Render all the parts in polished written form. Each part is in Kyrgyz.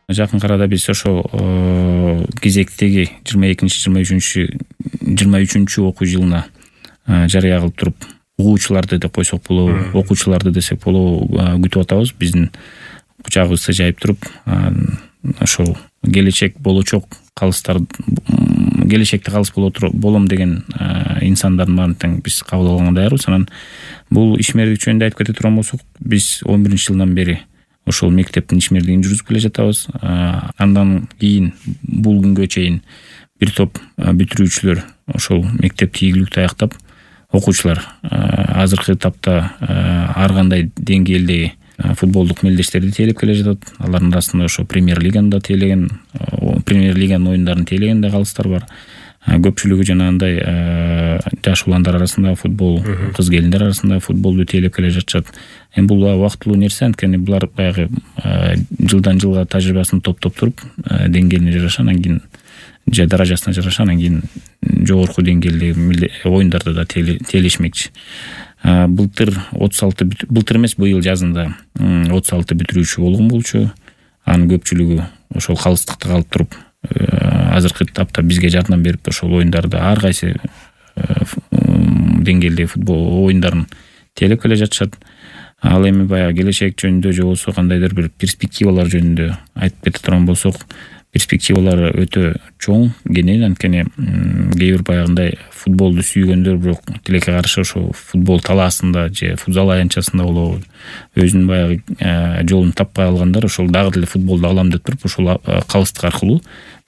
Жакын арада биз ошол кезектеги 22-23 окуу жылына жарыя кылып туруп, угуучуларды деп койсок болобу, окуучуларды десек болобу, күтүп атабыз. Биздин кучагыбызды жайып туруп, ошол келечек болочок калыстар, келечекте калыс болом деген инсандардын баарын тең биз кабыл алганга даярбыз. Анан бул ишмердик жөнүндө айтып кете турган болсок, биз 11-жылдан бери ошол мектептин ишмердигин жүргүзүп келе жатабыз. Андан кийин бул күнгө чейин бир топ бүтүрүүчүлөр ошол мектепти ийгиликтүү аяктап, окуучулар азыркы этапта ар кандай деңгээлдеги футболдук мелдештерди тейлеп келе жатат. Алардын арасында ошо премьер-лиганын оюндарын тейлеген да калыстар бар. Көпчүлүгү жанагындай жаш уландар арасында футбол, кыз келиндер арасында футболду тейлеп келе жатышат. Эми бул убактылуу нерсе, анткени булар баягы жылдан жылга тажрыйбасын топтоп туруп, деңгээлине жараша, анан кийин же даражасына жараша, анан кийин жогорку деңгээлдеги оюндарда да тейлешмекчи. Былтыр эмес, быйыл жазында 36 бүтүрүүчү болгон болчу. Анын көпчүлүгү ошол калыстыкта калып туруп, азыркы этапта бизге жардам берип, ошол оюндарда ар кайсы деңгээлдеги футбол оюндарын тейлеп келе жатышат. Ал эми баягы келечек жөнүндө же болбосо кандайдыр бир перспективалар жөнүндө айтып кете турган болсок, перспективалары өтө чоң, кенен. Анткени кээ бир баягындай футболду сүйгөндөр, бирок тилекке каршы ошо футбол талаасында же футзал аянтчасында болобу, өзүнүн баягы жолун таппай алгандар ошол дагы деле футболду алам деп туруп, ошол калыстык аркылуу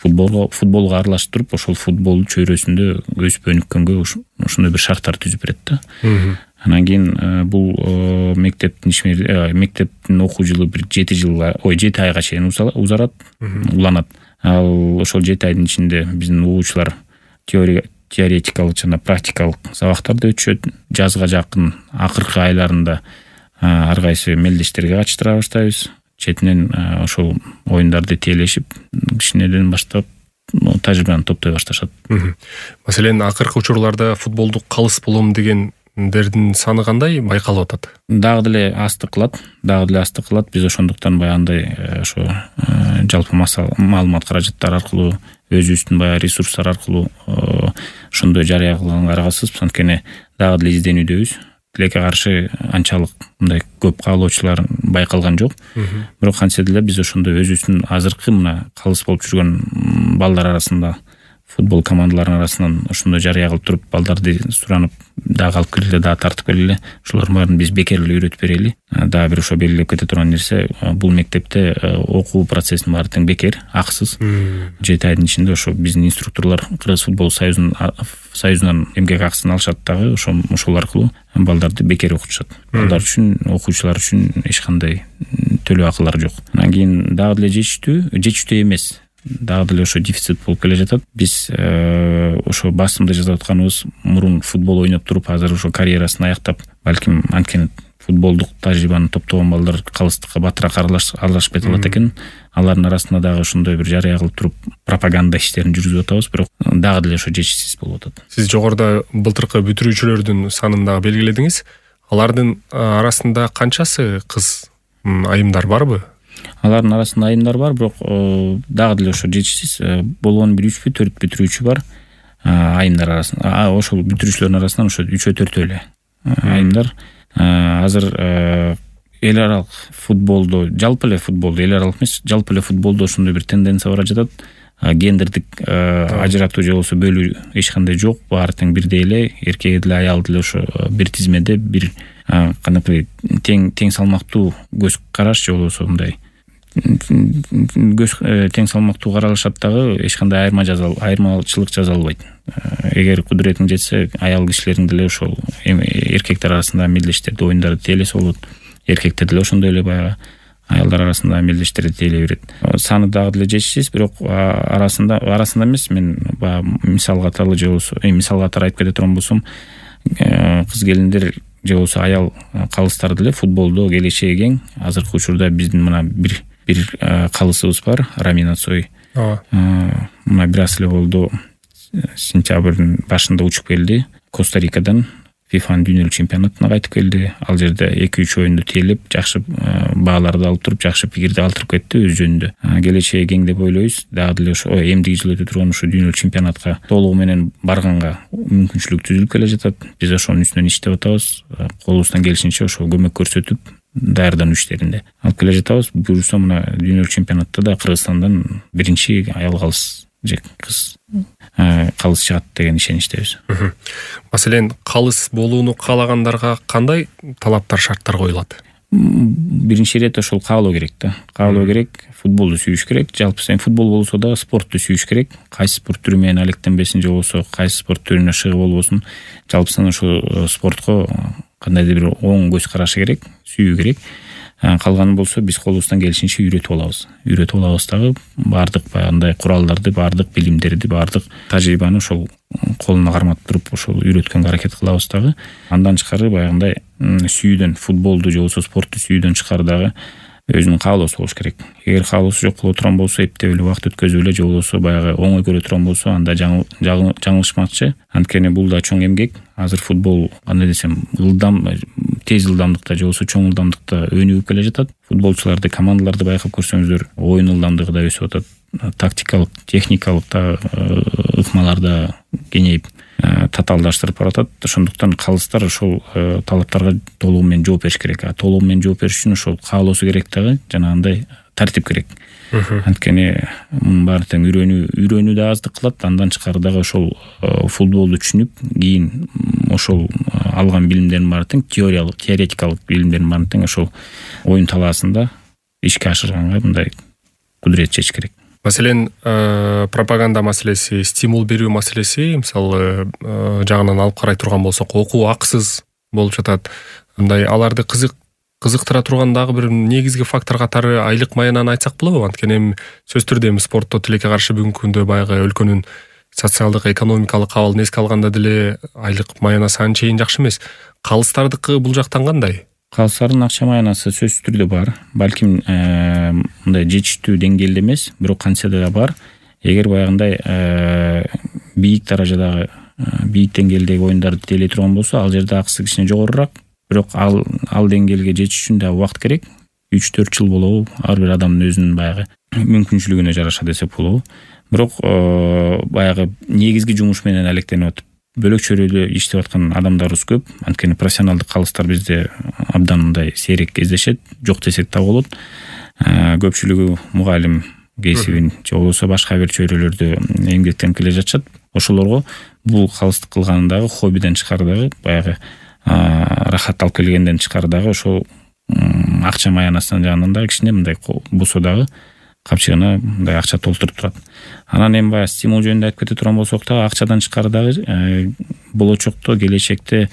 футболго аралашып туруп, ошол футбол чөйрөсүндө өсүп өнүккөнгө ошондой бир шарттар түзүп берет да. Анан кийин бул мектептин окуу жылы бир 7 айга чейин уланат. Ал ошол 7 айдын ичинде биздин угуучулар теоретикалык жана практикалык сабактарды өтүшөт. Жазга жакын акыркы айларында ар кайсы мелдештерге катыштыра баштайбыз. Четинен ошол оюндарды тейлешип, кичинеден баштап тажрыйбаны топтой башташат. Маселен, акыркы учурларда футболдук калыс болом дегендердин саны кандай байкалып атат? Дагы деле астык кылат. Биз ошондуктан баягындай ошо жалпы маалымат каражаттары аркылуу, өзүбүздүн баягы ресурстар аркылуу ошондой жарыя кылганга аргасызбыз. Анткени дагы деле изденүүдөбүз. Тилекке каршы анчалык мындай көп каалоочулар байкалган жок. Бирок кантсе деле биз ошондой өзүбүздүн азыркы мына калыс болуп жүргөн балдар арасында, футбол командаларынын арасынан ошондой жарыя кылып туруп, балдарды суранып, дагы алып келгиле, дагы тартып келгиле. Ошолордун баарын биз бекер эле үйрөтүп берели. Дагы бир ошо белгилеп кете турган нерсе, бул мектепте окуу процессинин баары тең бекер, акысыз. 7 айдын ичинде ошо биздин инструкторлор Кыргыз футбол союзунан эмгек акысын алышат дагы, ошол аркылуу балдарды бекер окутушат. Балдар үчүн, окуучулар үчүн эч кандай төлөө акылар жок. Анан кийин дагы деле жетиштүү эмес, дагы деле ошо дефицит болуп келе жатат. Биз ошо басымда жазып атканыбыз, мурун футбол ойноп туруп, азыр ошо карьерасын аяктап, балким анткени футболдук тажрыйбаны топтогон балдар калыстыкка батыраак аралашып кете алат экен. Алардын арасында дагы ошондой бир жарыя кылып туруп, пропаганда иштерин жүргүзүп атабыз, бирок дагы деле ошо жетишсиз болуп атат. Сиз жогоруда былтыркы бүтүрүүчүлөрдүн санын дагы белгиледиңиз. Алардын арасында канчасы кыз айымдар барбы? Алардын арасында айымдар бар, бирок дагы деле ошо жетишсиз. Болгону бир 3-4 бүтүрүүчү бар айымдар арасында. Ошол бүтүрүүчүлөрдүн арасынан ошо 3-4 эле айымдар. Азыр эл аралык футболдо, жалпы эле футболдо, эл аралык эмес, жалпы эле футболдо ошондой бир тенденция бара жатат. Гендердик ажыратуу же болбосо бөлүү эч кандай жок. Баары тең бирдей эле, эркек деле, аял деле ошо бир тизмеде, бир кандайбыр тең салмактуу көз караш же болбосо мындай тең салмактуу каралышат дагы, эч кандай айырмачылык жаза албайт. Эгер кудуретиң жетсе, аял кишилердин деле ошол эркектер арасында мелдештерди, оюндарды тейлесе болот. Эркектер деле ошондой эле баягы аялдар арасында мелдештерди тейлей берет. Саны дагы деле жетишсиз, бирок арасында эмес, мен мисал катары же болбосо айтып кете турган болсом, кыз келиндер же болбосо аял калыстар деле футболдо келечеги кең. Азыркы учурда биздин мына бир калысыбыз бар, Рамина Цой. Мына бир аз эле болду, сентябрдын башында учуп келди Коста-Рикадан, ФИФАнын дүйнөлүк чемпионатына кайтып келди. Ал жерде 2-3 оюнду тейлеп, жакшы бааларды алып туруп, жакшы пикирди алтырып кетти өз жөнүндө. Келечеги кең деп ойлойбуз. Дагы деле ошо эмдиги жыл өтө турган ушу дүйнөлүк чемпионатка толугу менен барганга мүмкүнчүлүк түзүлүп келе жатат. Биз ошонун үстүнөн иштеп атабыз. Колубуздан келишинче ошо көмөк көрсөтүп, даярдануу иштеринде алып келе жатабыз. Буюрса мына дүйнөлүк чемпионатта да Кыргызстандан биринчи аял калыс же кыз калыс чыгат деген ишеничтебиз. Маселен, калыс болууну каалагандарга кандай талаптар, шарттар коюлат? Биринчи ирет ошол каалоо керек да. Каалоо керек, футболду сүйүш керек. Жалпы сен футбол болсо да спортту сүйүш керек. Кайсы спорт түрү менен алектенбесин же болбосо кайсы спорт түрүнө шыгы болбосун, жалпысынан ошо спортко кандайдыр бир оң көз карашы керек, сүйүү керек. Калганы болсо биз колубуздан келишинче үйрөтүп алабыз дагы баардык баягындай куралдарды, баардык билимдерди, баардык тажрыйбаны ошол колуна кармап туруп ошол үйрөткөнгө аракет кылабыз дагы. Андан тышкары баягындай сүйүүдөн, футболду же болбосо спортту сүйүүдөн тышкары дагы өзүнүн каалоосу болуш керек. Эгер каалоосу жок боло турган болсо, эптеп эле убакыт өткөзүп эле же болбосо баягы оңой көрө турган болсо, анда жаңылышмакчы. Анткени бул да чоң эмгек. Азыр футбол кандай десем, тез ылдамдыкта же болбосо чоң ылдамдыкта өнүгүп келе жатат. Футболчуларды, командаларды байкап көрсөңүздөр, оюн ылдамдыгы да өсүп атат. Тактикалык, техникалык да ыкмалар да кеңейип, татаалдаштырып баратат. Ошондуктан калыстар ошол талаптарга толугу менен жооп бериш керек. Толугу менен жооп бериш үчүн ошол каалоосу керек дагы, жанагындай тартип керек. Анткени мунун баары тең үйрөнүү да аздык кылат. Андан тышкары дагы ошол футболду түшүнүп, кийин ошол алган билимдердин баары тең теоретикалык билимдердин баары тең ошол оюн талаасында ишке ашырганга мындай кудурет чечиш керек. Маселен, пропаганда маселеси, стимул берүү маселеси, мисалы, жагынан алып карай турган болсок, окуу акысыз болуп жатат. Андай аларды кызыктыра турган дагы бир негизги фактор катары айлык маянаны айтсак болобу? Анткени эми сөзсүз түрдө эми спортто тилекке каршы бүгүнкү күндө баягы өлкөнүн социалдык, экономикалык абалын эске алганда деле айлык маянасы анчейин жакшы эмес. Калыстардыкы бул жактан кандай? Калыстардын акча маянасы сөзсүз түрдө бар. Балким мындай жетиштүү деңгээлде эмес, бирок кантсе да бар. Эгер баягындай бийик даражадагы, бийик деңгээлдеги оюндарды тейлей турган болсо, ал жерде акысы кичине жогорураак. Бирок ал деңгээлге жетиш үчүн да убакыт керек. 3-4 жыл болобу? Ар бир адамдын өзүнүн баягы мүмкүнчүлүгүнө жараша десек болобу. Бирок баягы негизги жумуш менен алектенип атып, бөлөк чөйрөдө иштеп аткан адамдарыбыз көп. Анткени профессионалдык калыстар бизде абдан мындай сейрек кездешет, жок десек да болот. Көпчүлүгү мугалим кесибин же болбосо башка бир чөйрөлөрдө эмгектенип келе жатышат. Ошолорго бул калыстык кылгандагы хоббиден тышкары дагы баягы рахат алып келгенден тышкары дагы ошол акча маянасынын жагынан дагы кичине мындай болсо дагы капчыгына мындай акча толтуруп турат. Анан эми баягы стимул жөнүндө айтып кете турган болсок дагы акчадан тышкары дагы болочокто, келечекте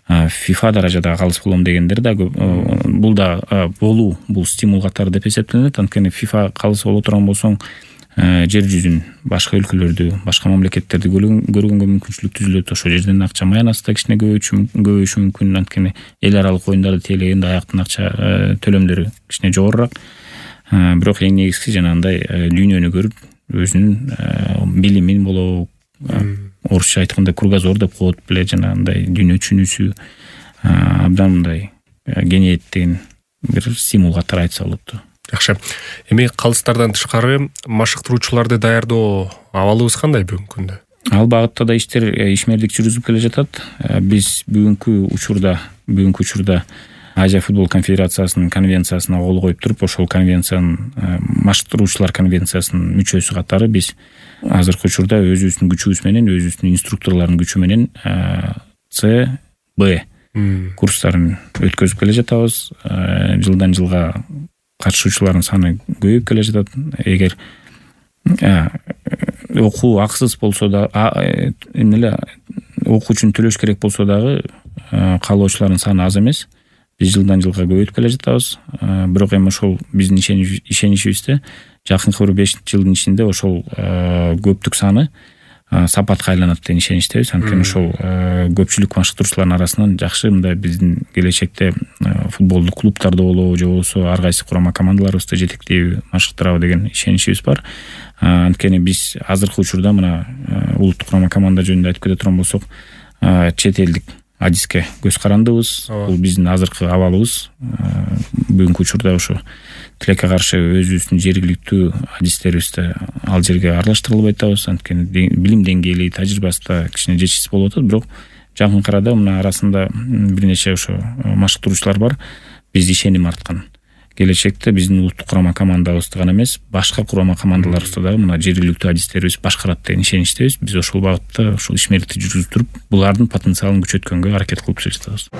FIFA даражадагы калыс болом дегендер да бул да бул стимул катары деп эсептелет. Анткени FIFA калыс боло турган болсоң, жер жүзүн, башка өлкөлөрдү, башка мамлекеттерди көргөнгө мүмкүнчүлүк түзүлөт. Ошол жерден акча маянасы да кичине көбөйүшү мүмкүн. Анткени эл аралык оюндарды тейлегенде аяктын акча төлөмдөрү кичине жогорураак. Бирок эң негизгиси жанагындай дүйнөнү көрүп, өзүнүн билимин болобу, орусча айтканда кругозор деп коет беле, жанагындай дүйнө түшүнүүсү абдан мындай кеңейет деген бир стимул катары айтса болот. Жакшы. Эми калыстардан тышкары машыктыруучуларды даярдоо абалыбыз кандай бүгүнкү күндө? Ал багытта да ишмердик жүргүзүп келе жатат. Биз бүгүнкү учурда Азия футбол конфедерациясынын конвенциясына кол коюп туруп, ошол конвенциянын машыктыруучулар конвенциясынын мүчөсү катары биз азыркы учурда өзүбүздүн күчүбүз менен, өзүбүздүн инструкторлордун күчү менен ЦБ курстарын өткөзүп келе жатабыз. Жылдан жылга катышуучулардын саны көбөйүп келе жатат. Эгер окуу акысыз болсо да, окуу үчүн төлөш керек болсо дагы каалоочулардын саны аз эмес. Биз жылдан жылга көбөйтүп келе жатабыз. Бирок эми ошол биздин ишеничибизде жакынкы бир 5 жылдын ичинде ошол көптүк саны сапатка айланат деген ишеничтебиз. Анткени ошол көпчүлүк машыктыруучулардын арасынан жакшы мындай биздин келечекте футболдук клубтарда болобу же болбосо ар кайсы курама командаларыбызды жетектейби, машыктырабы деген ишеничибиз бар. Анткени биз азыркы учурда мына улуттук курама команда жөнүндө айтып кете турган болсок, чет элдик адиске көз карандыбыз. Бул биздин азыркы абалыбыз. Бүгүнкү учурда ошо тилекке каршы өзүбүздүн жергиликтүү адистерибизди ал жерге аралаштырылып атабыз. Анткени билим деңгээли, тажрыйбасы да кичине жетишсиз болуп атат. Бирок жакынкы арада мына арасында бир нече ошо машыктыруучулар бар. Биз ишеним арткан. Келечекте биздин улуттук курама командабызды гана эмес, башка курама командаларыбызды дагы мына жергиликтүү адистерибиз башкарат деген ишеничтебиз. Биз ошол багытта ушул ишмердикти жүргүзүп туруп, булардын потенциалын күчөткөнгө аракет кылып жатабыз.